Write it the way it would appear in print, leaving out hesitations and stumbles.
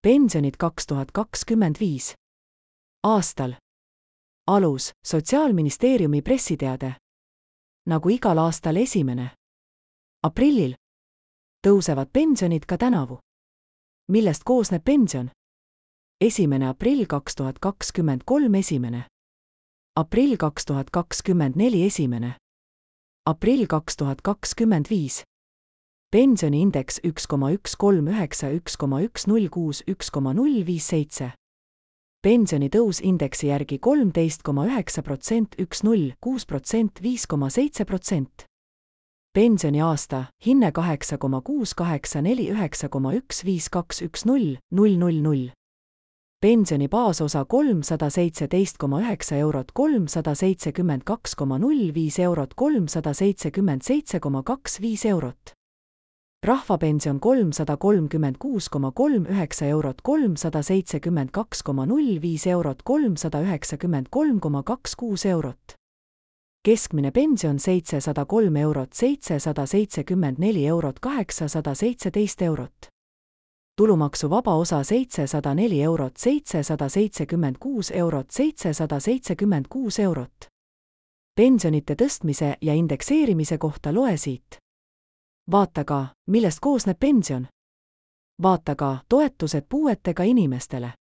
Pensionid 2025. aastal. Alus, Sotsiaalministeeriumi pressiteade. Nagu igal aastal 1. aprillil tõusevad pensionid ka tänavu. Millest koosneb pension? 1. aprill 2023 1. aprill 2024 1. aprill 2025. Pensioniindeks 1,139 1,106 1,057. Pensionitõus indeksi järgi 13,9% 1,06% 5,7%. Pensioniaasta, hinne 8,684 9,15210 000. Pensioni baasosa 317,9 eurot 372,05 eurot 377,25 eurot. Rahvapension 336,39 eurot 372,05 eurot 393,26 eurot. Keskmine pension 703 eurot 774 eurot 817 eurot. Tulumaksuvaba osa 704 eurot 776 eurot 776 eurot. Pensionite tõstmise ja indekseerimise kohta loe siit. Vaata ka, millest koosneb pension. Vaata ka toetused puuetega inimestele.